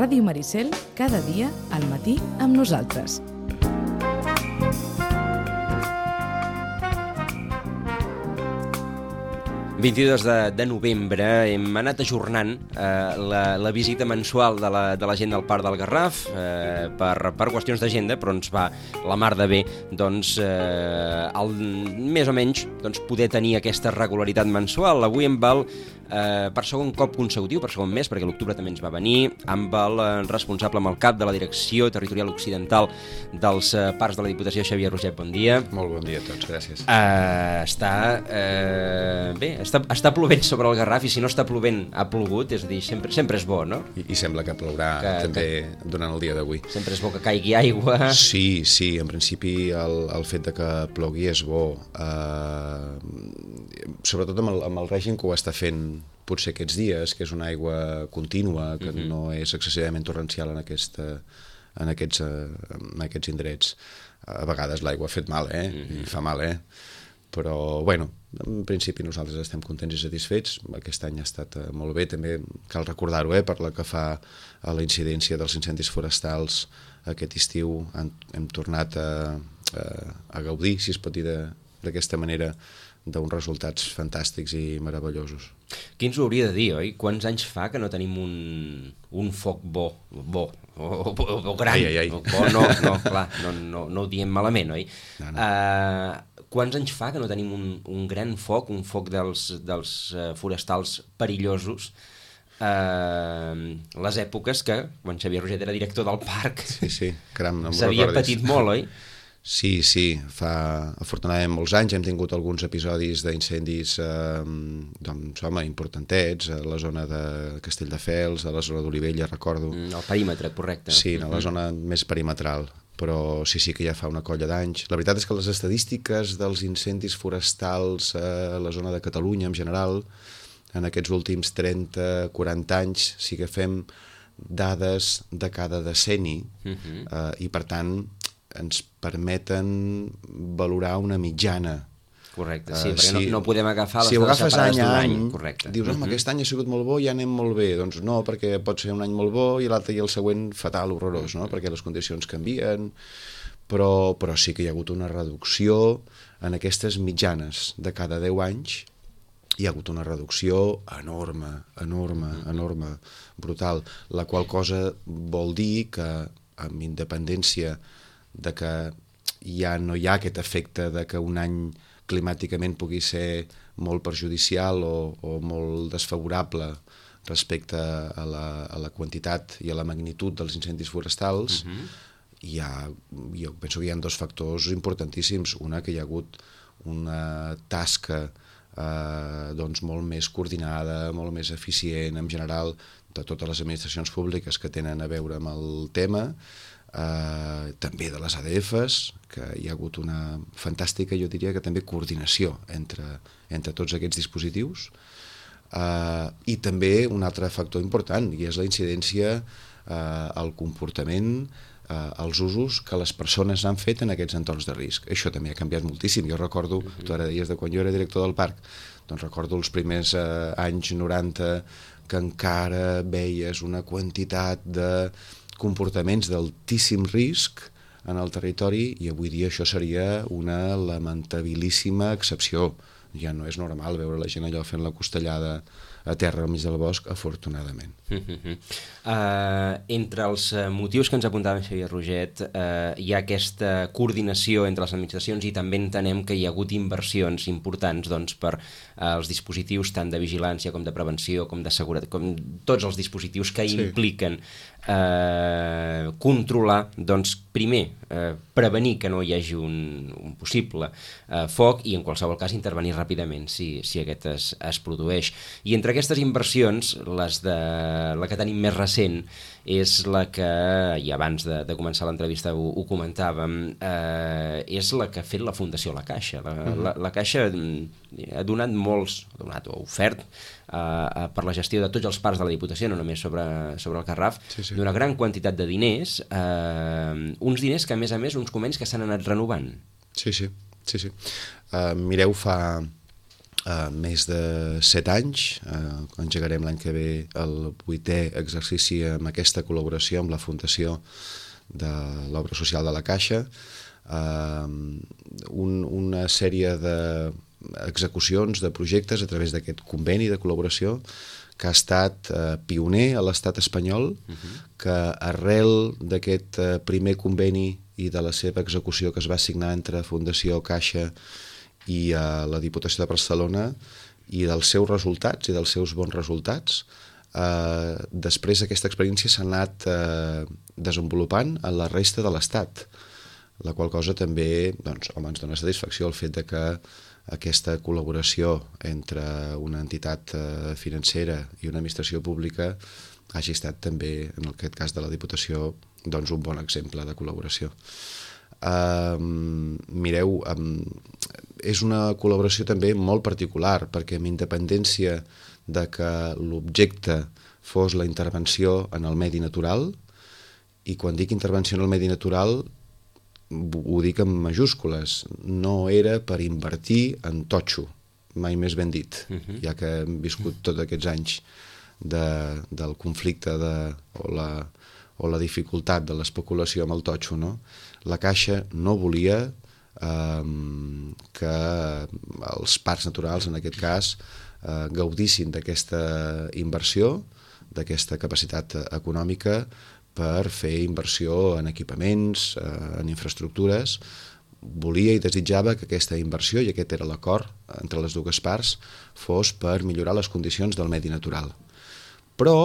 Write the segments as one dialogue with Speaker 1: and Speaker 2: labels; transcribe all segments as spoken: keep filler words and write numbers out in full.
Speaker 1: Ràdio Maricel, cada dia al matí amb nosaltres.
Speaker 2: vint-i-dos de novembre hem anat ajornant eh, la, la visita mensual de la, de la gent del Parc del Garraf eh, per, per qüestions d'agenda, però ens va la mar de bé doncs, eh, el, més o menys doncs, poder tenir aquesta regularitat mensual. Avui em val eh, per segon cop consecutiu, per segon mes, perquè l'octubre també ens va venir, amb el eh, responsable, amb el cap de la Direcció Territorial Occidental dels eh, Parcs de la Diputació, Xavier Roget. Bon dia.
Speaker 3: Molt bon dia a tots, gràcies.
Speaker 2: Uh, està, uh, bé, està, està plovent sobre el Garraf, i si no està plovent ha plogut, és a dir, sempre, sempre és bo, no?
Speaker 3: I, i sembla que plourà que, també que, durant el dia d'avui.
Speaker 2: Sempre és bo que caigui aigua.
Speaker 3: Sí, sí, en principi el, el fet de que plogui és bo, uh, sobretot amb el, amb el règim que ho està fent potser aquests dies, que és una aigua contínua, que uh-huh. no és excessivament torrencial en, aquesta, en, aquests, uh, en aquests indrets. A vegades l'aigua ha fet mal, eh? Uh-huh. I fa mal, eh? Però, bueno, en principi nosaltres estem contents i satisfets. Aquest any ha estat uh, molt bé, també cal recordar-ho, eh? Per la que fa a la incidència dels incendis forestals aquest estiu hem, hem tornat a, a, a gaudir, si es pot dir d'aquesta manera, d'uns resultats fantàstics i meravellosos.
Speaker 2: Qui ens ho hauria de dir, oi? Quants anys fa que no tenim un, un foc bo, bo, o, o, o gran?
Speaker 3: Ai, ai, ai.
Speaker 2: Bo, no, no, clar, no, no, no ho diem malament, oi?
Speaker 3: No, no.
Speaker 2: Uh, quants anys fa que no tenim un, un gran foc, un foc dels, dels uh, forestals perillosos? Uh, les èpoques que, quan Xavier Roget era director del parc,
Speaker 3: sí, sí, caram, no
Speaker 2: s'havia patit molt, oi?
Speaker 3: Sí, sí, fa afortunadament molts anys hem tingut alguns episodis d'incendis eh, doncs, home, importantets a la zona de Castelldefels, a la zona d'Olivella, recordo.
Speaker 2: Mm, el perímetre, correcte.
Speaker 3: Sí, a la zona més perimetral, però sí, sí que ja fa una colla d'anys. La veritat és que les estadístiques dels incendis forestals a la zona de Catalunya en general, en aquests últims trenta quaranta anys, sí que fem dades de cada decenni, uh-huh. eh, i per tant ens permeten valorar una mitjana.
Speaker 2: Correcte, sí, uh, perquè
Speaker 3: si,
Speaker 2: no, no podem agafar les
Speaker 3: si
Speaker 2: dades separades
Speaker 3: any
Speaker 2: d'un
Speaker 3: any,
Speaker 2: any. Correcte.
Speaker 3: Dius, home, uh-huh. aquest any ha sigut molt bo i ja anem molt bé. Doncs no, perquè pot ser un any molt bo i l'altre i el següent fatal, horrorós, no? Uh-huh. Perquè les condicions canvien, però, però sí que hi ha hagut una reducció en aquestes mitjanes de cada deu anys. Hi ha hagut una reducció enorme, enorme, uh-huh. enorme, brutal, la qual cosa vol dir que, amb independència de que ja no hi ha aquest efecte de que un any climàticament pugui ser molt perjudicial o, o molt desfavorable respecte a la, a la quantitat i a la magnitud dels incendis forestals, uh-huh. hi ha, jo penso que hi ha dos factors importantíssims. Una, que hi ha hagut una tasca eh, doncs molt més coordinada, molt més eficient en general de totes les administracions públiques que tenen a veure amb el tema, Uh, també de les A D Fs, que hi ha hagut una fantàstica, jo diria que també coordinació entre, entre tots aquests dispositius, uh, i també un altre factor important, i és la incidència uh, al comportament, uh, als usos que les persones han fet en aquests entorns de risc. Això també ha canviat moltíssim. Jo recordo, uh-huh. tu ara deies de quan jo era director del parc, doncs recordo els primers uh, anys noranta que encara veies una quantitat de comportaments d'altíssim risc en el territori, i avui dia això seria una lamentabilíssima excepció. Ja no és normal veure la gent allò fent la costellada a terra al mig del bosc, afortunadament.
Speaker 2: Uh-huh. Uh, entre els motius que ens apuntava Xavier Roget, uh, hi ha aquesta coordinació entre les administracions, i també entenem que hi ha hagut inversions importants doncs, per uh, els dispositius tant de vigilància com de prevenció, com de seguretat, com tots els dispositius que sí. impliquen uh, controlar, doncs, primer, uh, prevenir que no hi hagi un, un possible uh, foc, i en qualsevol cas intervenir ràpidament si, si aquest es, es produeix. I entre aquestes inversions, les de, la que tenim més recent és la que, i abans de, de començar l'entrevista ho, ho comentàvem, eh, és la que ha fet la Fundació La Caixa. La, uh-huh. la, la Caixa ha donat molts, ha donat o ofert eh, per la gestió de tots els parcs de la Diputació, no només sobre, sobre el Garraf, sí, sí. d'una gran quantitat de diners, eh, uns diners que a més a més, uns convenis que s'han anat renovant.
Speaker 3: Sí, sí, sí, sí. Uh, mireu, fa... Uh, més de set anys, uh, engegarem l'any que ve el vuitè exercici amb aquesta col·laboració amb la Fundació de l'Obra Social de la Caixa, uh, un, una sèrie d'execucions de projectes a través d'aquest conveni de col·laboració que ha estat uh, pioner a l'estat espanyol, uh-huh. que arrel d'aquest uh, primer conveni i de la seva execució que es va signar entre Fundació Caixa i a la Diputació de Barcelona i dels seus resultats i dels seus bons resultats, eh, després aquesta experiència s'ha anat eh, desenvolupant en la resta de l'Estat, la qual cosa també doncs, home, ens dona satisfacció el fet de que aquesta col·laboració entre una entitat eh, financera i una administració pública hagi estat també, en aquest cas de la Diputació, doncs, un bon exemple de col·laboració. Um, mireu, um, és una col·laboració també molt particular, perquè amb independència de que l'objecte fos la intervenció en el medi natural, i quan dic intervenció en el medi natural ho dic en majúscules, no era per invertir en totxo, mai més ben dit, uh-huh. ja que hem viscut tots aquests anys de, del conflicte de, o, la, o la dificultat de l'especulació amb el totxo, no? La Caixa no volia eh, que els parcs naturals, en aquest cas, eh, gaudissin d'aquesta inversió, d'aquesta capacitat econòmica per fer inversió en equipaments, eh, en infraestructures. Volia i desitjava que aquesta inversió, i aquest era l'acord entre les dues parts, fos per millorar les condicions del medi natural. Però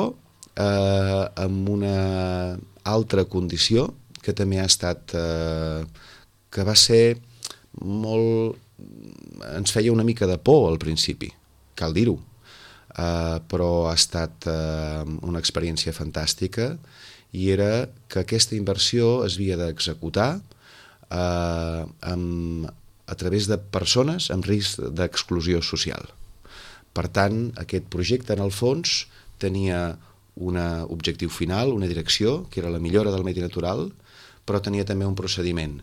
Speaker 3: eh, amb una altra condició, que també ha estat, eh, que va ser molt, ens feia una mica de por al principi, cal dir-ho, eh, però ha estat eh, una experiència fantàstica, i era que aquesta inversió es havia d'executar eh, amb, a través de persones amb risc d'exclusió social. Per tant, aquest projecte, en el fons, tenia un objectiu final, una direcció, que era la millora del medi natural, però tenia també un procediment,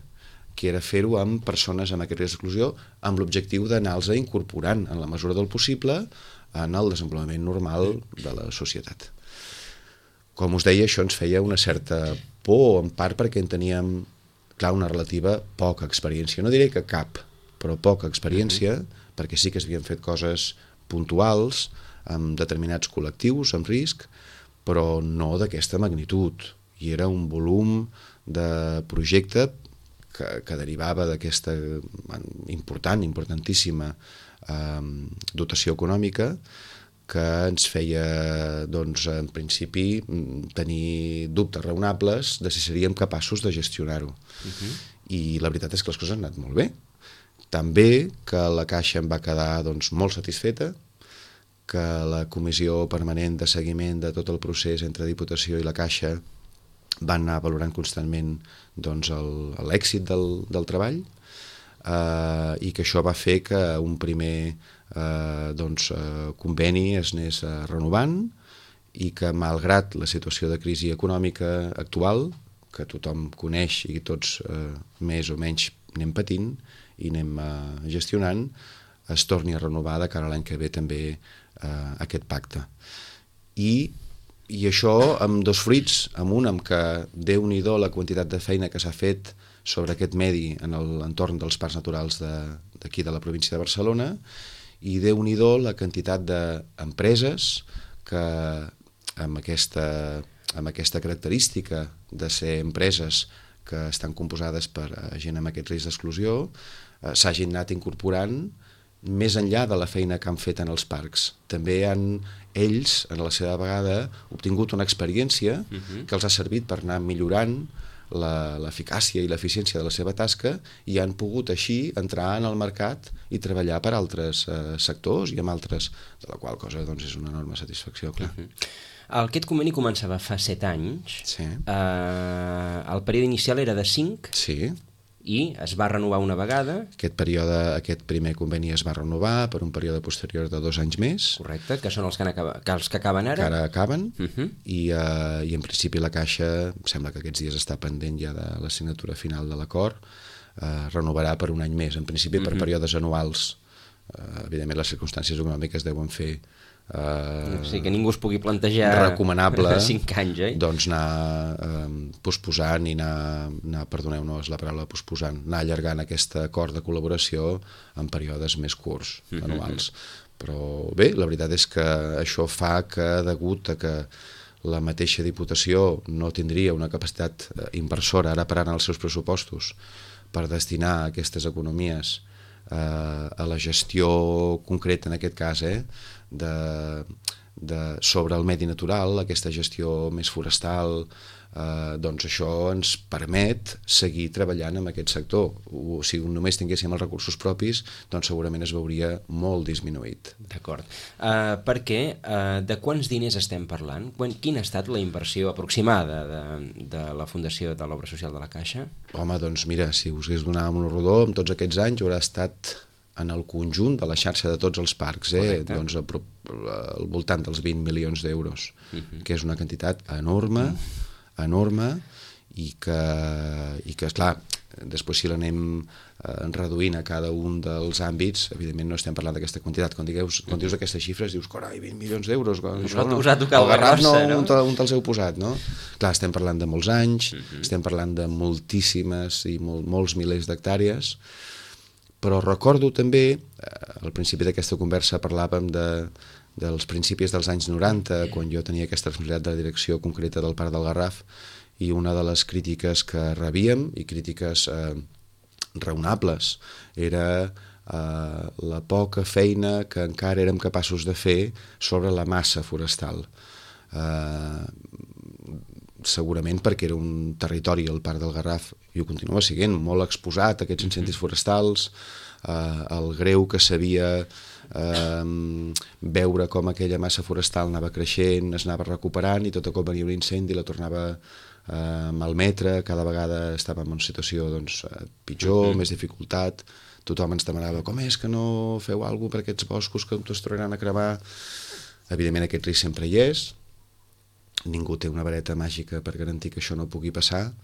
Speaker 3: que era fer-ho amb persones amb aquest risc d'exclusió, amb l'objectiu d'anar-los incorporant, en la mesura del possible, en el desenvolupament normal de la societat. Com us deia, això ens feia una certa por, en part perquè en teníem, clar, una relativa poca experiència. No diré que cap, però poca experiència, uh-huh. perquè sí que s'havien fet coses puntuals, amb determinats col·lectius, amb risc, però no d'aquesta magnitud. I era un volum de projecte que, que derivava d'aquesta important, importantíssima eh, dotació econòmica, que ens feia, doncs, en principi, tenir dubtes raonables de si seríem capaços de gestionar-ho. Uh-huh. I la veritat és que les coses han anat molt bé. També que la Caixa em va quedar, doncs, molt satisfeta, que la comissió permanent de seguiment de tot el procés entre Diputació i la Caixa van anar valorant constantment, doncs, l'èxit del, del treball, eh, i que això va fer que un primer eh, doncs, eh, conveni es anés eh, renovant, i que, malgrat la situació de crisi econòmica actual, que tothom coneix i tots eh, més o menys anem patint i anem eh, gestionant, es torni a renovar de cara a l'any que ve també eh, aquest pacte. I I això amb dos fruits, amb un amb que Déu-n'hi-do la quantitat de feina que s'ha fet sobre aquest medi en l'entorn dels parcs naturals d'aquí de, de la província de Barcelona, i Déu-n'hi-do la quantitat d'empreses que amb aquesta, amb aquesta característica de ser empreses que estan composades per gent amb aquest risc d'exclusió eh, s'hagin anat incorporant més enllà de la feina que han fet en els parcs. També han ells, en la seva vegada, obtingut una experiència uh-huh. que els ha servit per anar millorant l'eficàcia i l'eficiència de la seva tasca, i han pogut així entrar en el mercat i treballar per altres eh, sectors i amb altres, de la qual cosa doncs, és una enorme satisfacció, clar.
Speaker 2: Uh-huh. Aquest conveni començava fa set anys.
Speaker 3: Sí.
Speaker 2: Uh, el període inicial era de cinc.
Speaker 3: Sí.
Speaker 2: I es va renovar una vegada.
Speaker 3: Aquest període, aquest primer conveni es va renovar per un període posterior de dos anys més.
Speaker 2: Correcte, que són els que, acaba, que, els que acaben ara.
Speaker 3: Que ara acaben,
Speaker 2: uh-huh.
Speaker 3: i, uh, i en principi la Caixa, sembla que aquests dies està pendent ja de la signatura final de l'acord, uh, renovarà per un any més, en principi uh-huh. per períodes anuals, uh, evidentment les circumstàncies econòmiques deuen fer
Speaker 2: Uh, o sigui, que ningú es pugui plantejar
Speaker 3: recomanable
Speaker 2: cinc anys, eh?
Speaker 3: doncs anar eh, posposant i anar, anar perdoneu-nos la paraula posposant, anar allargant aquest acord de col·laboració en períodes més curts, mm-hmm. anuals. Però bé, la veritat és que això fa que, degut a que la mateixa Diputació no tindria una capacitat inversora ara per ara en els seus pressupostos per destinar aquestes economies eh, a la gestió concreta, en aquest cas, eh, de, de, sobre el medi natural, aquesta gestió més forestal, eh, doncs això ens permet seguir treballant en aquest sector. O, si només tinguéssim els recursos propis, doncs segurament es veuria molt disminuït.
Speaker 2: D'acord. Uh, perquè uh, de quants diners estem parlant? Quan, quina ha estat la inversió aproximada de, de la Fundació de l'Obra Social de la Caixa?
Speaker 3: Home, doncs mira, si us hagués donat un rodó, en tots aquests anys haurà estat en el conjunt de la xarxa de tots els parcs, eh? doncs, al voltant dels vint milions d'euros, uh-huh. que és una quantitat enorme, uh-huh. enorme, i que, i que esclar, després si l'anem eh, reduint a cada un dels àmbits, evidentment no estem parlant d'aquesta quantitat. Quan, digueus, quan dius aquestes xifres, dius, carai, vint milions d'euros, això no,
Speaker 2: us ha tocat
Speaker 3: el Garraf no,
Speaker 2: no?
Speaker 3: on, on te'ls heu posat, no? Clar, estem parlant de molts anys, uh-huh. estem parlant de moltíssimes i mol, molts milers d'hectàrees, però recordo també, al principi d'aquesta conversa parlàvem de, dels principis dels anys noranta, quan jo tenia aquesta responsabilitat de la direcció concreta del Parc del Garraf, i una de les crítiques que rebíem, i crítiques eh, raonables, era eh, la poca feina que encara érem capaços de fer sobre la massa forestal. Eh, segurament perquè era un territori, el Parc del Garraf, i ho continua sent, molt exposat a aquests incendis forestals, eh, el greu que s'havia eh, veure com aquella massa forestal anava creixent, es anava recuperant, i tot a cop venia un incendi, la tornava a malmetre, cada vegada estàvem en una situació doncs, pitjor, uh-huh. més dificultat, tothom ens demanava com és que no feu alguna cosa per aquests boscos que es tornaran a cremar. Evidentment aquest risc sempre hi és, ningú té una vareta màgica per garantir que això no pugui passar,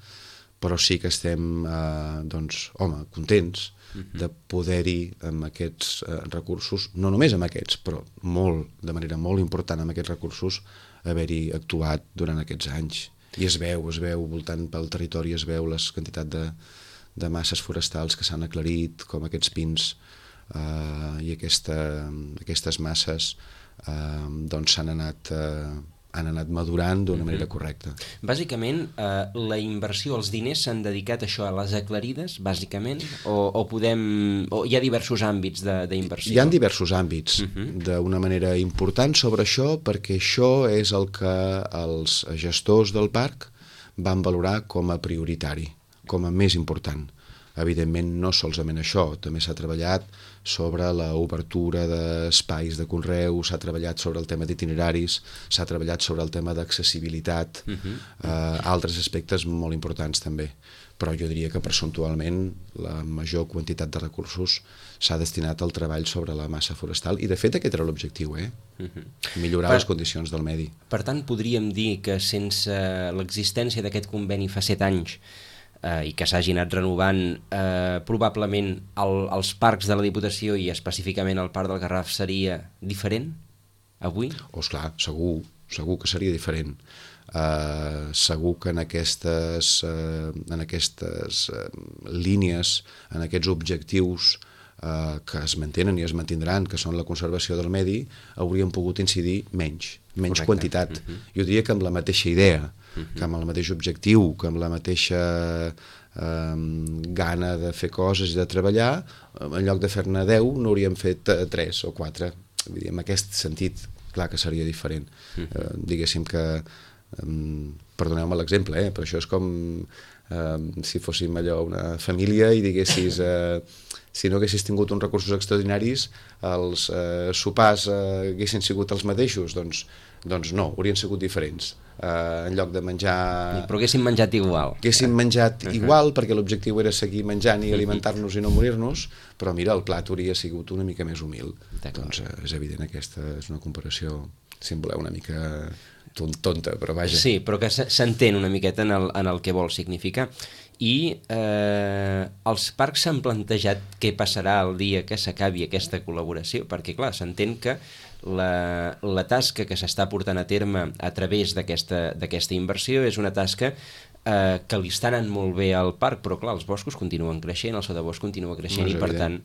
Speaker 3: però sí que estem, eh, doncs, home, contents uh-huh. de poder-hi amb aquests eh, recursos, no només amb aquests, però molt, de manera molt important amb aquests recursos, haver-hi actuat durant aquests anys. I es veu, es veu, voltant pel territori, es veu les quantitat de, de masses forestals que s'han aclarit, com aquests pins eh, i aquesta, aquestes masses eh, doncs s'han anat... Eh, han anat madurant d'una manera correcta.
Speaker 2: Bàsicament, eh, la inversió, els diners s'han dedicat a això, a les aclarides, bàsicament, o, o podem... o hi ha diversos àmbits d'inversió?
Speaker 3: Hi ha diversos àmbits, uh-huh. d'una manera important sobre això, perquè això és el que els gestors del parc van valorar com a prioritari, com a més important. Evidentment, no solament això, també s'ha treballat sobre l'obertura d'espais de conreu, s'ha treballat sobre el tema d'itineraris, s'ha treballat sobre el tema d'accessibilitat, uh-huh. eh, altres aspectes molt importants també. Però jo diria que percentualment la major quantitat de recursos s'ha destinat al treball sobre la massa forestal, i de fet aquest era l'objectiu, eh? Uh-huh. Millorar per, les condicions del medi.
Speaker 2: Per tant, podríem dir que sense l'existència d'aquest conveni fa set anys, Eh, i que s'hagi anat renovant, eh, probablement el, els parcs de la Diputació i específicament el Parc del Garraf seria diferent avui?
Speaker 3: Oh, esclar, segur, segur que seria diferent. Eh, segur que en aquestes, eh, en aquestes eh, línies, en aquests objectius eh, que es mantenen i es mantindran, que són la conservació del medi, hauríem pogut incidir menys, menys Correcte. Quantitat. Uh-huh. Jo diria que amb la mateixa idea, uh-huh. que amb el mateix objectiu, que amb la mateixa eh, gana de fer coses i de treballar, en lloc de fer-ne deu, n'hauríem fet eh, tres o quatre. Vull dir, en aquest sentit, clar que seria diferent. Uh-huh. Eh, diguéssim que, eh, perdoneu-me l'exemple, eh, però això és com eh, si fóssim allò una família i diguessis... Eh, si no haguessis tingut uns recursos extraordinaris, els eh, sopars eh, haguessin sigut els mateixos, doncs, doncs no, haurien sigut diferents. Eh, en lloc de menjar...
Speaker 2: Però haguéssim menjat igual.
Speaker 3: Haguéssim menjat uh-huh. igual, perquè l'objectiu era seguir menjant i alimentar-nos i no morir-nos, però mira, el plat hauria sigut una mica més humil. Doncs eh, és evident, aquesta és una comparació, si em voleu, una mica tonta, però vaja.
Speaker 2: Sí, però que s'entén una miqueta en el, en el que vol significar. i eh, els parcs s'han plantejat què passarà el dia que s'acabi aquesta col·laboració, perquè clar, s'entén que la, la tasca que s'està portant a terme a través d'aquesta d'aquesta inversió és una tasca eh, que li està anant molt bé al parc, però clar, els boscos continuen creixent, el sotabosc continua creixent, no i per tant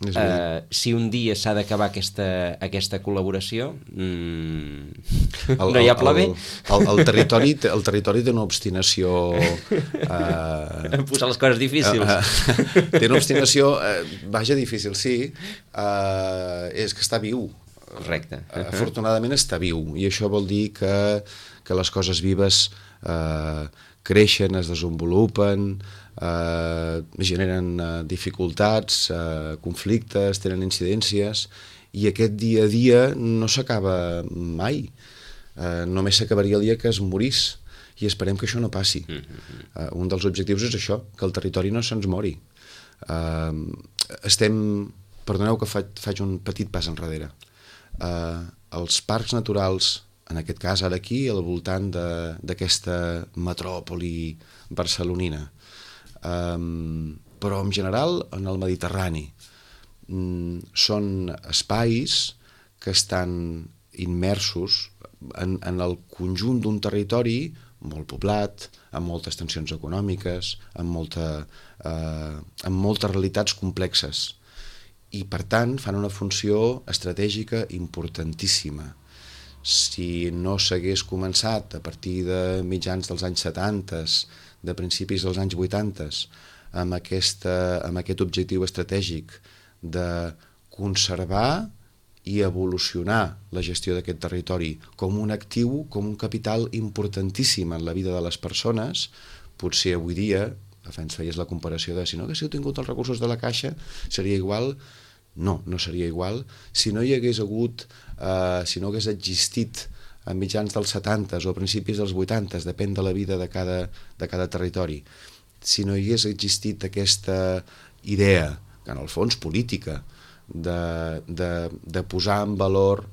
Speaker 2: Uh, si un dia s'ha d'acabar aquesta, aquesta col·laboració mm, el, no hi ha pla B.
Speaker 3: El, el, el, territori, el territori té una obstinació uh,
Speaker 2: posar les coses difícils uh, uh,
Speaker 3: té una obstinació uh, vaja, difícil, sí uh, és que està viu.
Speaker 2: Correcte.
Speaker 3: Uh, afortunadament està viu, i això vol dir que, que les coses vives uh, creixen, es desenvolupen, Uh, generen uh, dificultats, uh, conflictes, tenen incidències, i aquest dia a dia no s'acaba mai. Uh, només s'acabaria el dia que es morís, i esperem que això no passi. Uh, un dels objectius és això, que el territori no se'ns mori. Uh, estem... Perdoneu que faig, faig un petit pas enrere. Uh, els parcs naturals, en aquest cas ara aquí, al voltant d'aquesta metròpoli barcelonina, Um, però en general en el Mediterrani um, són espais que estan immersos en, en el conjunt d'un territori molt poblat, amb moltes tensions econòmiques, amb, molta, uh, amb moltes realitats complexes, i per tant fan una funció estratègica importantíssima. Si no s'hagués començat a partir de mitjans dels anys setanta, de principis dels anys vuitanta, amb, aquesta, amb aquest objectiu estratègic de conservar i evolucionar la gestió d'aquest territori com un actiu, com un capital importantíssim en la vida de les persones, potser avui dia, abans feies la comparació de si no haguéssiu tingut els recursos de la Caixa, seria igual? No, no seria igual. Si no hi hagués hagut, eh, si no hagués existit a mitjans dels setanta o a principis dels vuitanta, depèn de la vida de cada, de cada territori. Si no hi hagués existit aquesta idea, que en el fons política, de, de, de posar en valor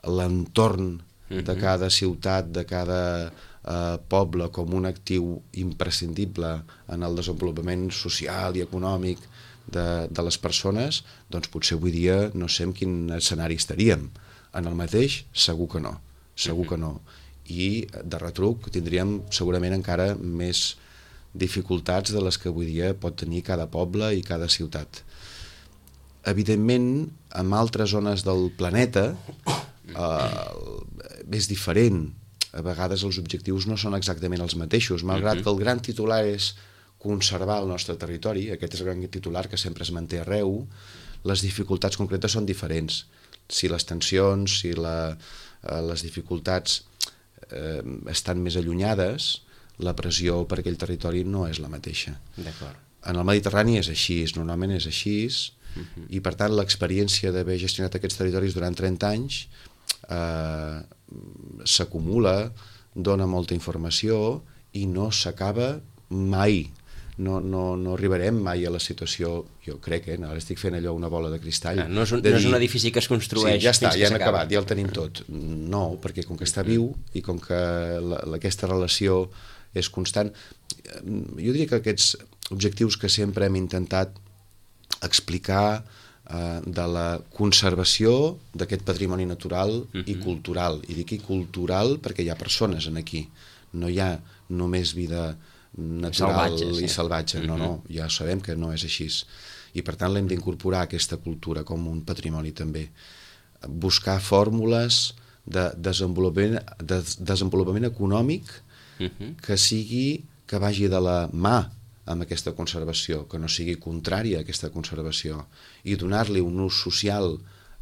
Speaker 3: l'entorn de cada ciutat, de cada eh, poble, com un actiu imprescindible en el desenvolupament social i econòmic de, de les persones, doncs potser avui dia no sé en quin escenari estaríem. En el mateix, segur que no, segur que no. I de retruc tindríem segurament encara més dificultats de les que avui dia pot tenir cada poble i cada ciutat. Evidentment, en altres zones del planeta eh, és diferent. A vegades els objectius no són exactament els mateixos, malgrat que el gran titular és conservar el nostre territori, aquest és el gran titular que sempre es manté arreu, les dificultats concretes són diferents. Si les tensions, si la, eh, les dificultats eh, estan més allunyades, la pressió per aquell territori no és la mateixa.
Speaker 2: D'acord.
Speaker 3: En el Mediterrani és així, normalment és així, uh-huh. I per tant l'experiència d'haver gestionat aquests territoris durant trenta anys eh, s'acumula, dona molta informació i no s'acaba mai. No, no, no arribarem mai a la situació, jo crec, eh, ara estic fent allò una bola de cristall.
Speaker 2: Ah, no, és un,
Speaker 3: de
Speaker 2: no
Speaker 3: dir,
Speaker 2: és un edifici que es construeix,
Speaker 3: sí, ja està,
Speaker 2: fins
Speaker 3: ja
Speaker 2: que
Speaker 3: hem
Speaker 2: s'acaba.
Speaker 3: acabat, ja el tenim tot. No, perquè com que està viu i com que la, la, aquesta relació és constant, jo diria que aquests objectius que sempre hem intentat explicar eh, de la conservació d'aquest patrimoni natural uh-huh. i cultural. I dic i cultural perquè hi ha persones en aquí, no hi ha només vida natural salvatge, sí. i salvatge, no, no, ja sabem que no és així, i per tant l'hem d'incorporar aquesta cultura com un patrimoni també, buscar fórmules de desenvolupament, de desenvolupament econòmic uh-huh. que sigui, que vagi de la mà amb aquesta conservació, que no sigui contrària a aquesta conservació, i donar-li un ús social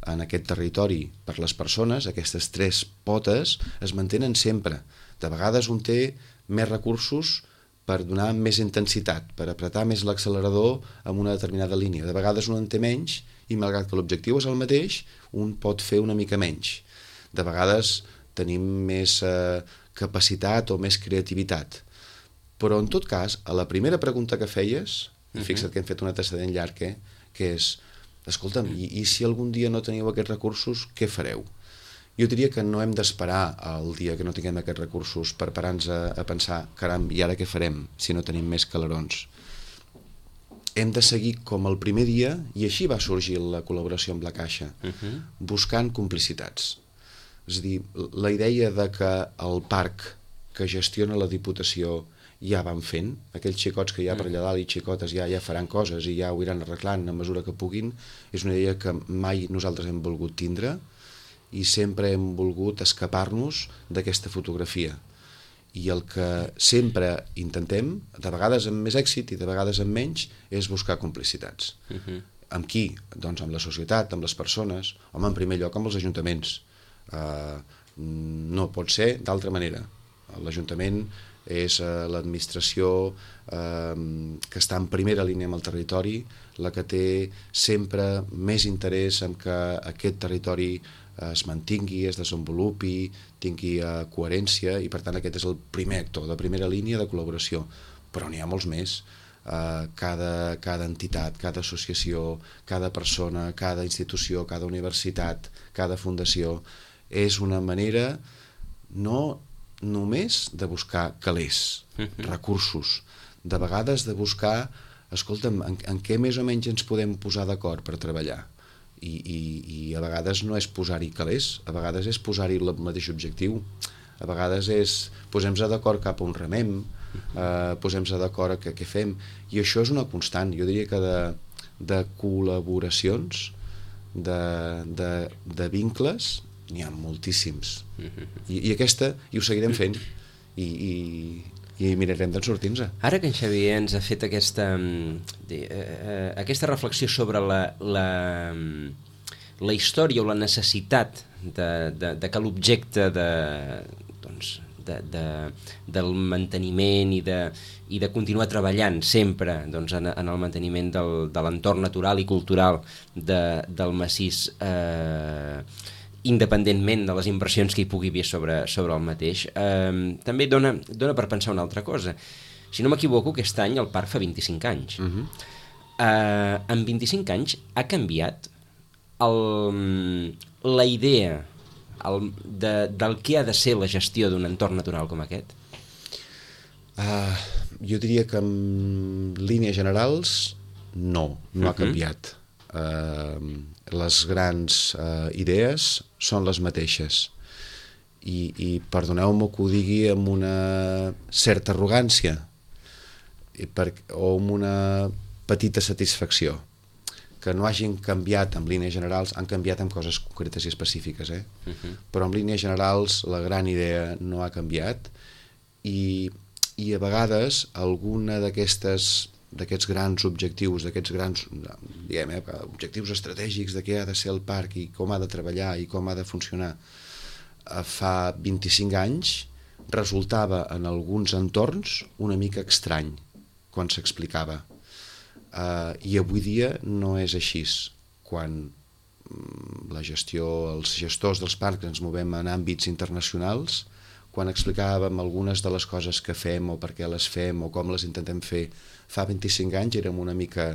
Speaker 3: en aquest territori per les persones. Aquestes tres potes es mantenen sempre. De vegades un té més recursos per donar més intensitat, per apretar més l'accelerador en una determinada línia. De vegades un en té menys i, malgrat que l'objectiu és el mateix, un pot fer una mica menys. De vegades tenim més eh, capacitat o més creativitat. Però, en tot cas, a la primera pregunta que feies, uh-huh. fixa't que hem fet un antecedent llarg, eh, que és, escolta'm, i, i si algun dia no teniu aquests recursos, què fareu? jo diria que no hem d'esperar el dia que no tinguem aquests recursos per parar-nos a, a pensar, caram, i ara què farem si no tenim més calerons? Hem de seguir com el primer dia, i així va sorgir la col·laboració amb la Caixa, uh-huh. buscant complicitats. És a dir, la idea de que el parc que gestiona la Diputació ja van fent, aquells xicots que hi ha per allà dalt i xicotes ja ja faran coses i ja ho iran arreglant a mesura que puguin, és una idea que mai nosaltres hem volgut tindre i sempre hem volgut escapar-nos d'aquesta fotografia. I el que sempre intentem, de vegades amb més èxit i de vegades amb menys, és buscar complicitats. Uh-huh. Amb qui? Doncs amb la societat, amb les persones, home, en primer lloc amb els ajuntaments. Uh, no pot ser d'altra manera. L'Ajuntament és uh, l'administració uh, que està en primera línia amb el territori, la que té sempre més interès en que aquest territori es mantingui, es desenvolupi, tingui uh, coherència, i per tant aquest és el primer actor de primera línia de col·laboració. Però n'hi ha molts més. Uh, cada, cada entitat, cada associació, cada persona, cada institució, cada universitat, cada fundació és una manera no només de buscar calés, recursos, de vegades de buscar, escolta'm, en, en què més o menys ens podem posar d'acord per treballar. I, i, i a vegades no és posar-hi calés, a vegades és posar-hi el mateix objectiu, a vegades és posem-nos d'acord cap a on remem, eh, posem-nos d'acord a què, què fem, i això és una constant, jo diria que de, de col·laboracions, de, de, de vincles, n'hi ha moltíssims, I, i aquesta, i ho seguirem fent, i, i, i mirarem de sortir-nos.
Speaker 2: Ara que en Xavier ens ha fet aquesta, eh, aquesta reflexió sobre la, la, la història o la necessitat de, de, de que l'objecte de, doncs, de, de, del manteniment i de, i de continuar treballant sempre doncs, en, en el manteniment del, de l'entorn natural i cultural de, del massís, eh, independentment de les impressions que hi pugui haver sobre, sobre el mateix, eh, també dona, dona per pensar una altra cosa. Si no m'equivoco, aquest any el parc fa vint-i-cinc anys. Uh-huh. eh, en vint-i-cinc anys ha canviat el, la idea el, de, del que ha de ser la gestió d'un entorn natural com aquest? Uh,
Speaker 3: jo diria que en línies generals no, no uh-huh. ha canviat. Uh, les grans uh, idees són les mateixes i, i perdoneu-me que ho digui amb una certa arrogància i per, o amb una petita satisfacció que no hagin canviat en línies generals, han canviat en coses concretes i específiques, eh? Uh-huh. Però en línies generals la gran idea no ha canviat i, i a vegades alguna d'aquestes d'aquests grans objectius, d'aquests grans diguem, eh, objectius estratègics de què ha de ser el parc i com ha de treballar i com ha de funcionar, fa vint-i-cinc anys resultava en alguns entorns una mica estrany quan s'explicava. Uh, I avui dia no és així. Quan la gestió, els gestors dels parcs ens movem en àmbits internacionals, quan explicàvem algunes de les coses que fem o per què les fem o com les intentem fer fa vint-i-cinc anys érem una mica,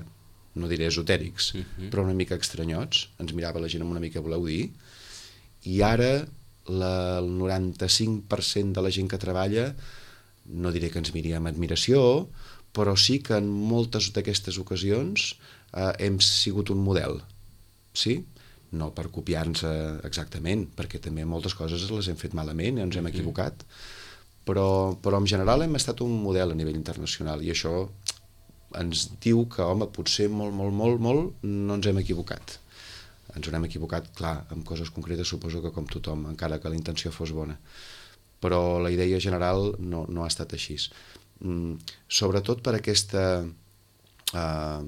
Speaker 3: no diré esotèrics, uh-huh. però una mica estranyots, ens mirava la gent amb una mica voleu dir, i ara la, el noranta-cinc per cent de la gent que treballa, no diré que ens miri amb admiració, però sí que en moltes d'aquestes ocasions eh, hem sigut un model, sí? No per copiar-nos exactament, perquè també moltes coses les hem fet malament i ens hem equivocat, però, però en general hem estat un model a nivell internacional i això ens diu que, home, potser molt, molt, molt, molt no ens hem equivocat. Ens hem equivocat, clar, amb coses concretes suposo que com tothom, encara que la intenció fos bona. Però la idea general no, no ha estat així. Mm, sobretot per aquesta eh,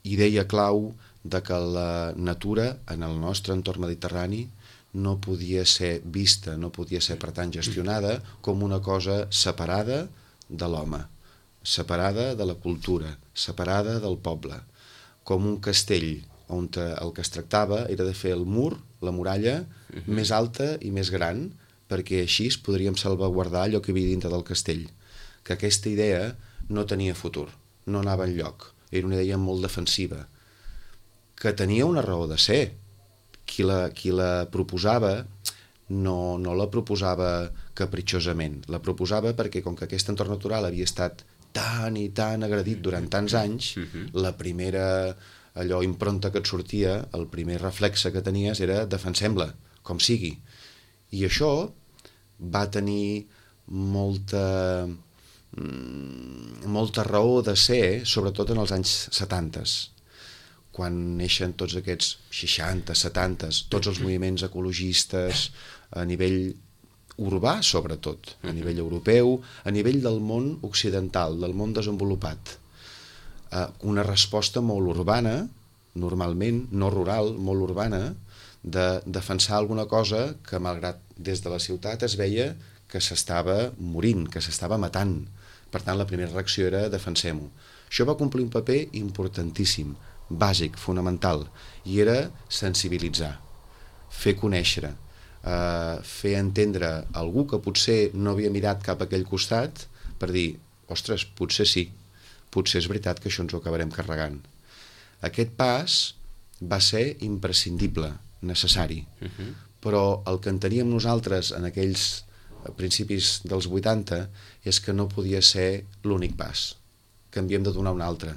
Speaker 3: idea clau de que la natura en el nostre entorn mediterrani no podia ser vista, no podia ser per tant gestionada com una cosa separada de l'home, separada de la cultura, separada del poble, com un castell on el que es tractava era de fer el mur, la muralla, uh-huh. més alta i més gran, perquè així podríem salvaguardar allò que hi havia dintre del castell. Que aquesta idea no tenia futur, no anava enlloc, era una idea molt defensiva, que tenia una raó de ser. Qui la, qui la proposava no, no la proposava capritxosament, la proposava perquè com que aquest entorn natural havia estat tan i tan agredit durant tants anys, la primera allò impronta que et sortia, el primer reflexe que tenies era defensem-la, com sigui. I això va tenir molta, molta raó de ser, sobretot en els anys setanta, quan neixen tots aquests seixanta, setanta, tots els moviments ecologistes a nivell urbà, sobretot, a nivell europeu, a nivell del món occidental, del món desenvolupat. Una resposta molt urbana, normalment, no rural, molt urbana, de defensar alguna cosa que, malgrat des de la ciutat, es veia que s'estava morint, que s'estava matant. Per tant, la primera reacció era defensem-ho. Això va complir un paper importantíssim, bàsic, fonamental, i era sensibilitzar, fer conèixer, Uh, fer entendre algú que potser no havia mirat cap a aquell costat per dir, ostres, potser sí, potser és veritat que això ens ho acabarem carregant. Aquest pas va ser imprescindible, necessari, uh-huh. però el que enteníem nosaltres en aquells principis dels vuitanta és que no podia ser l'únic pas, que havíem de donar un altre,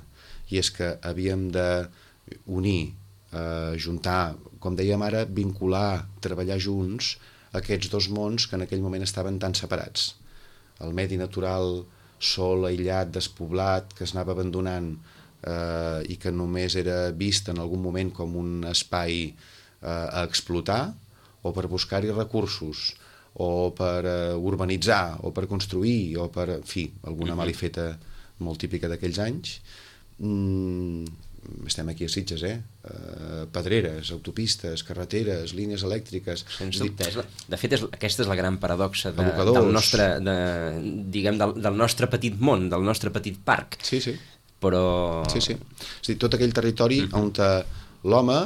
Speaker 3: i és que havíem d'unir, Uh, juntar, com dèiem ara, vincular, treballar junts aquests dos mons que en aquell moment estaven tan separats. El medi natural sol, aïllat, despoblat, que es anava abandonant uh, i que només era vist en algun moment com un espai uh, a explotar o per buscar-hi recursos o per uh, urbanitzar o per construir o per, en fi, alguna malifeta molt típica d'aquells anys. Mm, estem aquí a Sitges, eh? Uh, pedreres, autopistes, carreteres, línies elèctriques...
Speaker 2: Sens dubte. De fet, és, aquesta és la gran paradoxa de,
Speaker 3: Abocadors.
Speaker 2: del nostre, de, diguem, del, del nostre petit món, del nostre petit parc.
Speaker 3: Sí, sí.
Speaker 2: Però...
Speaker 3: Sí, sí. És a dir, tot aquell territori uh-huh. on l'home,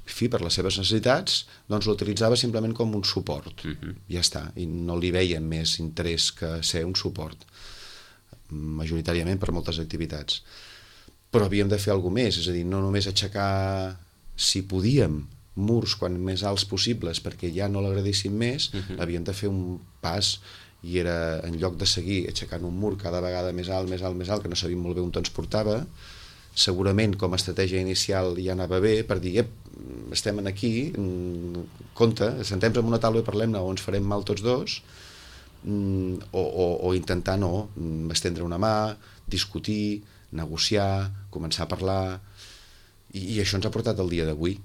Speaker 3: fi, per les seves necessitats, doncs l'utilitzava simplement com un suport. Uh-huh. Ja està. I no li veien més interès que ser un suport. Majoritàriament per moltes activitats. Però havíem de fer alguna més, és a dir, no només aixecar, si podíem, murs quan més alts possibles perquè ja no l'agradéssim més, uh-huh. havíem de fer un pas i era, en lloc de seguir aixecant un mur cada vegada més alt, més alt, més alt, que no sabíem molt bé on ens portava, segurament com a estratègia inicial ja anava bé per dir, ep, estem aquí, compte, sentem-nos en una taula i parlem-ne o ens farem mal tots dos, o, o, o intentar no, estendre una mà, discutir, negociar, començar a parlar, i, i això ens ha portat al dia d'avui.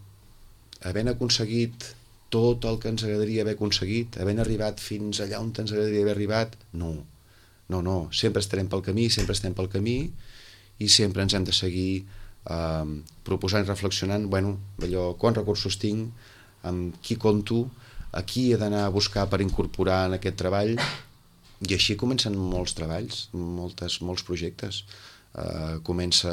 Speaker 3: Havent aconseguit tot el que ens agradaria haver aconseguit, havent arribat fins allà on ens agradaria haver arribat, no, no, no, sempre estarem pel camí, sempre estem pel camí, i sempre ens hem de seguir eh, proposant i reflexionant, bueno, allò, quants recursos tinc, amb qui compto, a qui he d'anar a buscar per incorporar en aquest treball, i així comencen molts treballs, moltes, molts projectes. Uh, comença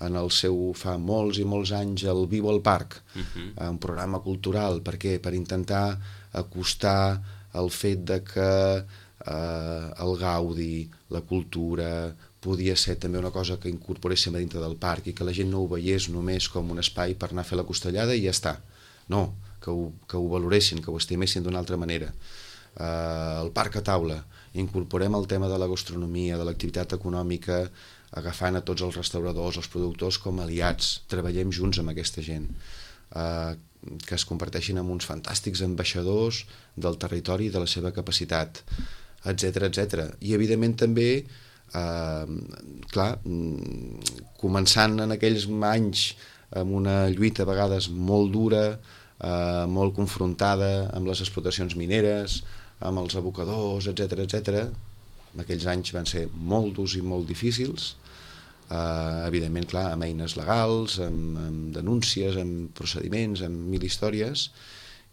Speaker 3: en el seu, fa molts i molts anys, el Viu al Parc, uh-huh. un programa cultural. Per què? Per intentar acostar el fet de que uh, el gaudi, la cultura, podia ser també una cosa que incorporéssim a dintre del parc i que la gent no ho veiés només com un espai per anar a fer la costellada i ja està. No, que ho, que ho valoressin, que ho estimessin d'una altra manera. Uh, el parc a taula, incorporem el tema de la gastronomia, de l'activitat econòmica, agafant a tots els restauradors, els productors com aliats, treballem junts amb aquesta gent, eh, que es converteixin en uns fantàstics ambaixadors del territori i de la seva capacitat, etcètera, etcètera. I evidentment també, eh, clar, començant en aquells anys amb una lluita a vegades molt dura, eh, molt confrontada amb les explotacions mineres, amb els abocadors, etcètera, etcètera. Aquells anys van ser molt durs i molt difícils, uh, evidentment, clar, amb eines legals, amb, amb denúncies, amb procediments, amb mil històries,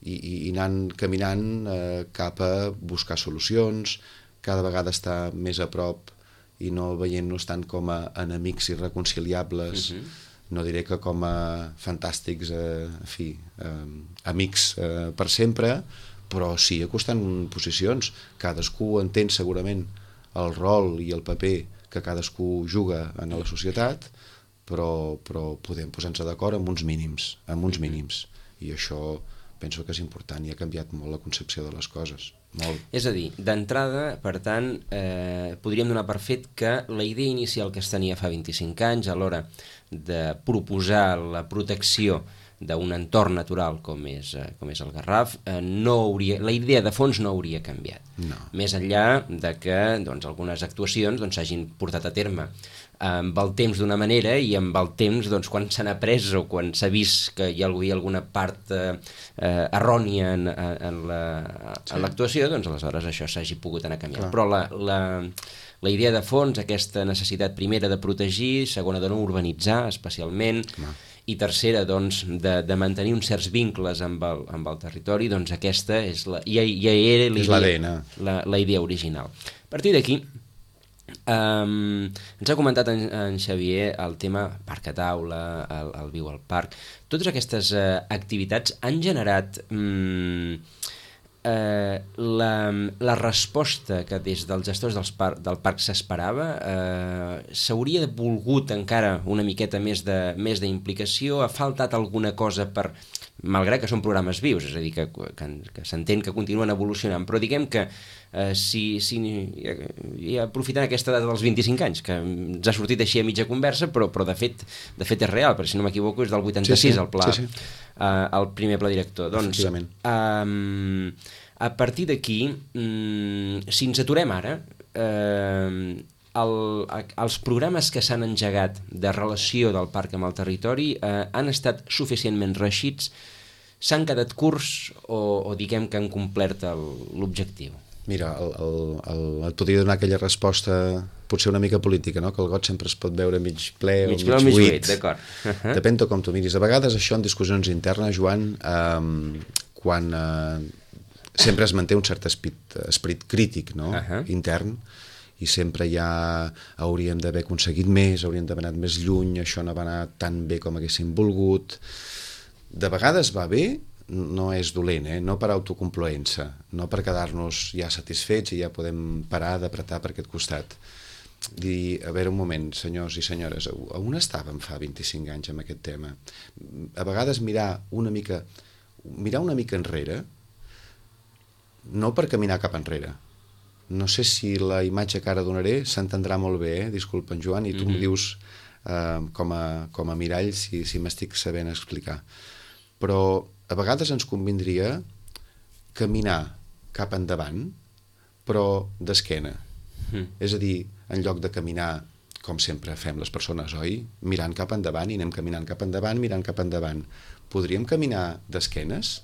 Speaker 3: i, i, i anant caminant uh, cap a buscar solucions, cada vegada estar més a prop i no veient-nos tant com a enemics irreconciliables, uh-huh. no diré que com a fantàstics, eh, en fi, eh, amics eh, per sempre, però sí acostant posicions. Cadascú entén segurament el rol i el paper que cadascú juga en la societat, però, però podem posar-nos d'acord amb uns mínims, amb uns mínims. I això penso que és important i ha canviat molt la concepció de les coses, molt.
Speaker 2: És a dir, d'entrada, per tant, eh, podríem donar per fet que la idea inicial que es tenia fa vint-i-cinc anys a l'hora de proposar la protecció d'un entorn natural com és, eh, com és el Garraf, eh, no hauria, la idea de fons no hauria canviat.
Speaker 3: No.
Speaker 2: Més enllà de que doncs, algunes actuacions doncs, s'hagin portat a terme amb el temps d'una manera i amb el temps doncs, quan s'han après o quan s'ha vist que hi ha alguna part eh, eh, errònia en, en l'actuació, doncs aleshores això s'hagi pogut anar canviant. Clar. Però la, la, la idea de fons, aquesta necessitat primera de protegir, segona de no urbanitzar especialment, no. I tercera doncs, de, de mantenir uns certs vincles amb el, amb el territori, doncs aquesta és la, ja, ja era la idea, la, la idea original. A partir d'aquí, Um, ens ha comentat en, en Xavier el tema parc a taula, el, el Viu al Parc. Totes aquestes uh, activitats han generat um, uh, la, la resposta que des dels gestors dels par del parc s'esperava. Uh, s'hauria volgut encara una miqueta més de més d'implicació? Ha faltat alguna cosa per... malgrat que són programes vius, és a dir, que, que, que s'entén que continuen evolucionant, però diguem que eh, si, si i aprofitant aquesta data dels vint-i-cinc anys, que ens ha sortit així a mitja conversa, però, però de, fet, de fet és real, perquè si no m'equivoco és del vuitanta-sis, sí, sí, el pla, sí, sí. Eh, el primer pla director. Doncs, eh, a partir d'aquí, mm, si ens aturem ara, eh, El, els programes que s'han engegat de relació del parc amb el territori eh, han estat suficientment reeixits, s'han quedat curts o, o diguem que han complert l'objectiu?
Speaker 3: Mira, el, el, el, et podria donar aquella resposta potser una mica política, no? Que el got sempre es pot veure mig ple o mig, mig, mig buit.
Speaker 2: D'acord. Uh -huh.
Speaker 3: Depèn de com tu miris. A vegades això en discussions internes, Joan, eh, quan eh, sempre es manté un cert esperit, esperit crític, no? Uh -huh. Intern, i sempre ja hauríem d'haver aconseguit més, hauríem d'haver anat més lluny, això no va anar tan bé com haguéssim volgut. De vegades va bé, no és dolent, eh? No per autocomploença, no per quedar-nos ja satisfets i ja podem parar d'apretar per aquest costat. Dir, a veure un moment, senyors i senyores, on estàvem fa vint-i-cinc anys amb aquest tema? A vegades mirar una mica, mirar una mica enrere, no per caminar cap enrere. No sé si la imatge que ara donaré s'entendrà molt bé, eh? Disculpa, en Joan, i tu mm-hmm. em dius eh, com, a, com a mirall si, si m'estic sabent explicar. Però a vegades ens convindria caminar cap endavant, però d'esquena. Mm. És a dir, en lloc de caminar, com sempre fem les persones, oi? Mirant cap endavant i anem caminant cap endavant, mirant cap endavant. Podríem caminar d'esquenes?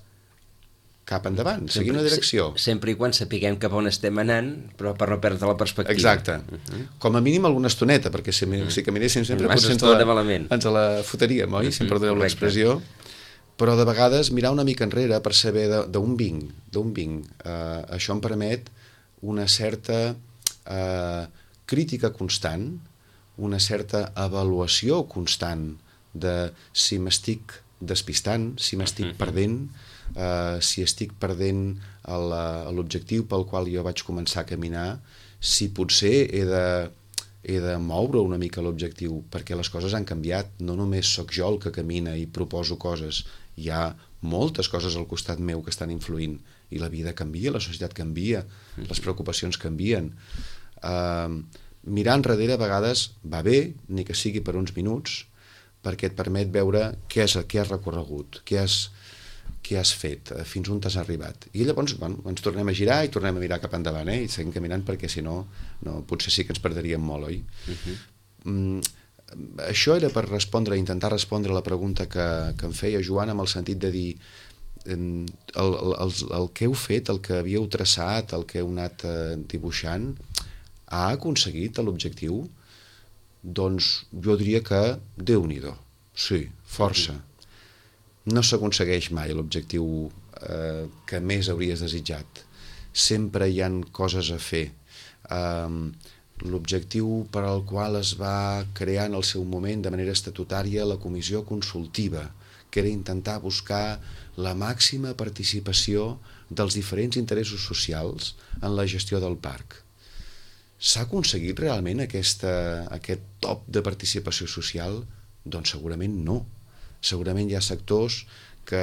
Speaker 3: Cap endavant, seguir una direcció.
Speaker 2: Sempre i quan sapiguem cap on estem anant, però per no perdre la perspectiva.
Speaker 3: Exacte. Uh-huh. Com a mínim alguna estoneta, perquè si, uh-huh. si caminéssim sempre potser ens la, ens la foteríem, oi? Uh-huh. Si em perdoneu l'expressió. Però de vegades mirar una mica enrere per saber d'on vinc, d'on vinc. Uh, això em permet una certa uh, crítica constant, una certa avaluació constant de si m'estic despistant, si m'estic uh-huh. perdent, Uh, si estic perdent l'objectiu pel qual jo vaig començar a caminar, si potser he de, he de moure una mica l'objectiu, perquè les coses han canviat, no només sóc jo el que camina i proposo coses, hi ha moltes coses al costat meu que estan influint, i la vida canvia, la societat canvia, les preocupacions canvien. Uh, mirar enrere a vegades va bé, ni que sigui per uns minuts, perquè et permet veure què, és, què has recorregut, què has què has fet, fins on t'has arribat. I llavors bueno, ens tornem a girar i tornem a mirar cap endavant, eh? I seguim caminant perquè si no, no potser sí que ens perdríem molt, oi? Uh-huh. mm, això era per respondre, intentar respondre a la pregunta que, que em feia Joan, amb el sentit de dir el, el, el, el que heu fet, el que havíeu traçat, el que heu anat eh, dibuixant, ha aconseguit l'objectiu? Doncs jo diria que Déu-n'hi-do, sí, força. Uh-huh. No s'aconsegueix mai l'objectiu eh, que més hauries desitjat. Sempre hi han coses a fer. Um, l'objectiu per al qual es va crear en el seu moment de manera estatutària la comissió consultiva, que era intentar buscar la màxima participació dels diferents interessos socials en la gestió del parc. S'ha aconseguit realment aquesta, aquest top de participació social? Doncs segurament no. Segurament hi ha sectors que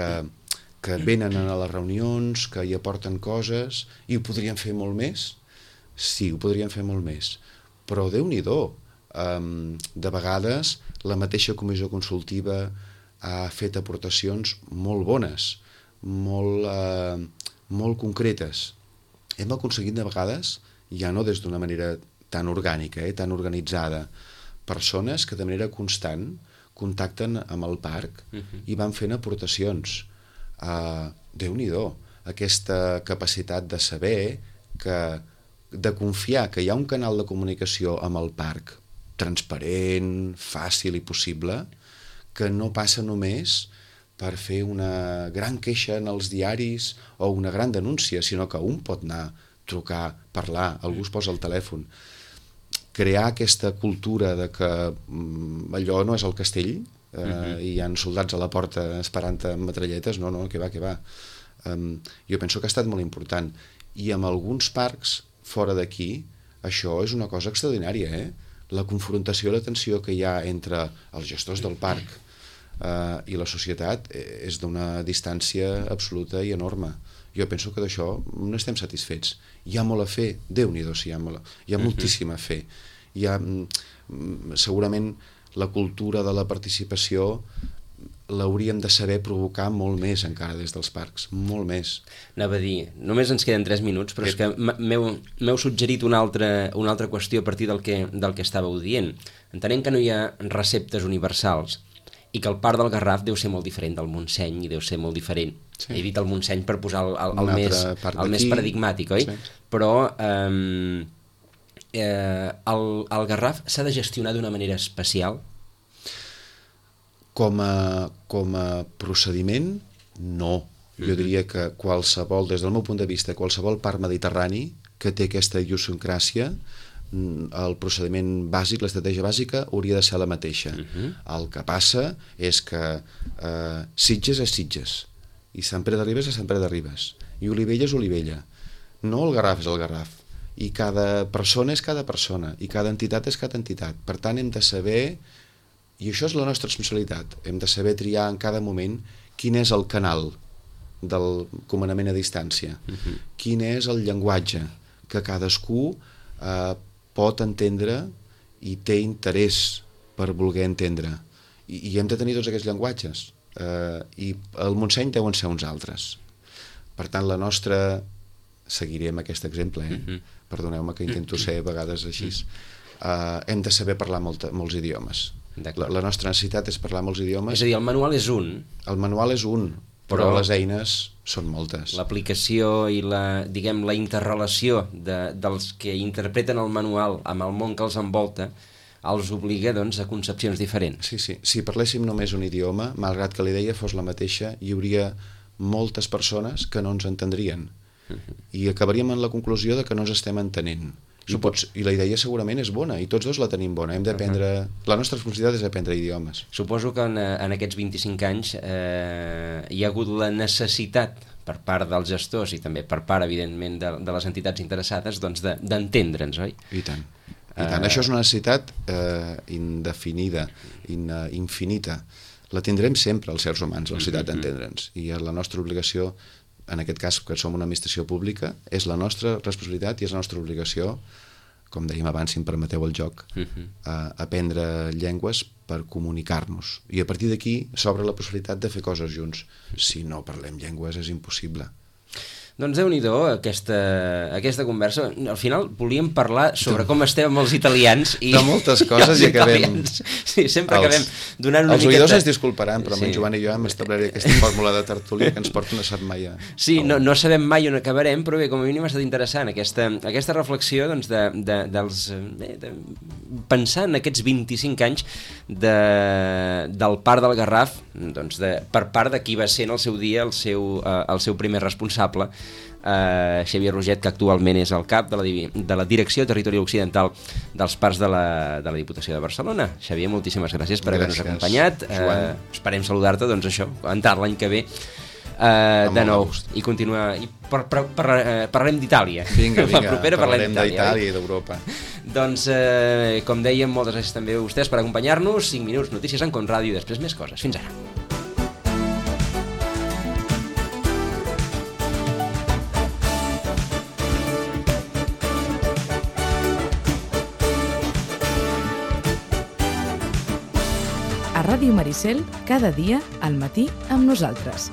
Speaker 3: que venen a les reunions, que hi aporten coses, i ho podrien fer molt més? Sí, ho podrien fer molt més. Però Déu-n'hi-do, um, de vegades la mateixa comissió consultiva ha fet aportacions molt bones, molt, uh, molt concretes. Hem aconseguit de vegades, ja no des d'una manera tan orgànica, eh, tan organitzada, persones que de manera constant contacten amb el parc uh-huh. i van fent aportacions. Uh, Déu-n'hi-do, aquesta capacitat de saber que, de confiar que hi ha un canal de comunicació amb el parc transparent, fàcil i possible, que no passa només per fer una gran queixa en els diaris o una gran denúncia, sinó que un pot anar, trucar, parlar, algú es posa al telèfon. Crear aquesta cultura de que mm, allò no és el castell, eh, uh-huh. i hi ha soldats a la porta esperant amb metralletes, no, no, que va, que va. Um, jo penso que ha estat molt important. I amb alguns parcs fora d'aquí, això és una cosa extraordinària, eh? La confrontació i la tensió que hi ha entre els gestors del parc uh, i la societat és d'una distància absoluta i enorme. Jo penso que d'això no estem satisfets. Hi ha molt a fer, Déu-n'hi-do, si hi ha, molt, hi ha moltíssim a fer. Hi ha, segurament, la cultura de la participació l'hauríem de saber provocar molt més encara des dels parcs, molt més.
Speaker 2: Anava a dir, només ens queden tres minuts, però és que m'heu suggerit una altra, una altra qüestió a partir del que, del que estàveu dient. Entenem que no hi ha receptes universals i que el parc del Garraf deu ser molt diferent del Montseny i deu ser molt diferent. Sí. He dit el Montseny per posar el, el, el, més, el més paradigmàtic, oi? Sí. Però eh, eh, el, el Garraf s'ha de gestionar d'una manera especial?
Speaker 3: Com a, com a procediment, no. Jo diria que qualsevol, des del meu punt de vista, qualsevol parc mediterrani que té aquesta idiosincràsia, el procediment bàsic, l'estratègia bàsica, hauria de ser la mateixa. Uh-huh. El que passa és que eh, Sitges és Sitges, i Sant Pere de Ribes és Sant Pere de Ribes, i Olivella és Olivella. No el Garraf és el Garraf. I cada persona és cada persona, i cada entitat és cada entitat. Per tant, hem de saber... I això és la nostra responsabilitat. Hem de saber triar en cada moment quin és el canal del comandament a distància, uh-huh. quin és el llenguatge que cadascú eh, pot entendre i té interès per voler entendre. I, i hem de tenir tots aquests llenguatges. Eh, I el Montseny deuen ser uns altres. Per tant, la nostra... Seguiré amb aquest exemple, eh? Uh-huh. Perdoneu-me que intento ser a vegades així. Uh, hem de saber parlar molta, molts idiomes. La, la nostra necessitat és parlar molts idiomes.
Speaker 2: És a dir, el manual és un.
Speaker 3: El manual és un, però, però les eines són moltes.
Speaker 2: L'aplicació i la, diguem, la interrelació de, dels que interpreten el manual amb el món que els envolta els obliga, doncs, a concepcions diferents.
Speaker 3: Sí, sí. Si parléssim només un idioma, malgrat que la idea fos la mateixa, hi hauria moltes persones que no ens entendrien. Uh-huh. I acabaríem en la conclusió de que no ens estem entenent. I, pots, I la idea segurament és bona, i tots dos la tenim bona. Hem d'aprendre... Uh-huh. La nostra responsabilitat és aprendre idiomes.
Speaker 2: Suposo que en, en aquests vint-i-cinc anys eh, hi ha hagut la necessitat per part dels gestors i també per part, evidentment, de, de les entitats interessades, doncs d'entendre'ns, oi?
Speaker 3: I tant. I tant. Uh... Això és una necessitat eh, indefinida, in, uh, infinita. La tindrem sempre, els éssers humans, la necessitat uh-huh. d'entendre'ns. I la nostra obligació, en aquest cas, que som una administració pública, és la nostra responsabilitat i és la nostra obligació, com dèiem abans, si em permeteu el joc, uh-huh. a aprendre llengües per comunicar-nos. I a partir d'aquí s'obre la possibilitat de fer coses junts. Si no parlem llengües és impossible.
Speaker 2: Doncs Déu-n'hi-do, aquesta, aquesta conversa. Al final volíem parlar sobre com estem amb els italians i,
Speaker 3: de moltes coses i, i acabem...
Speaker 2: Sí, sempre els, acabem donant una
Speaker 3: els
Speaker 2: miqueta...
Speaker 3: Els oïdors ens disculparan, però sí. amb en Joan i jo hem establert aquesta fórmula de tertúlia que ens porta una setmana.
Speaker 2: Sí, no, no sabem mai on acabarem, però bé, com a mínim ha estat interessant aquesta, aquesta reflexió, doncs, de, de, dels, bé, de, pensar en aquests vint-i-cinc anys de, del Parc del Garraf, doncs de, per part de qui va ser en el seu dia el seu, eh, el seu primer responsable, Uh, Xavier Roget, que actualment és el cap de la, de la Direcció Territorial Occidental dels Parcs de la, de la Diputació de Barcelona. Xavier, moltíssimes gràcies per haver-nos acompanyat. Uh, esperem saludar-te, doncs això, entrar l'any que ve uh, de nou i continuar. I per, per, per, uh, parlarem d'Itàlia.
Speaker 3: Vinga, vinga, la propera parlarem d'Itàlia i d'Europa.
Speaker 2: Doncs, uh, com dèiem, moltes gràcies també a vostès per acompanyar-nos. cinc minuts, notícies en Conràdio i després més coses. Fins ara.
Speaker 1: Ràdio Maricel, cada dia al matí amb nosaltres.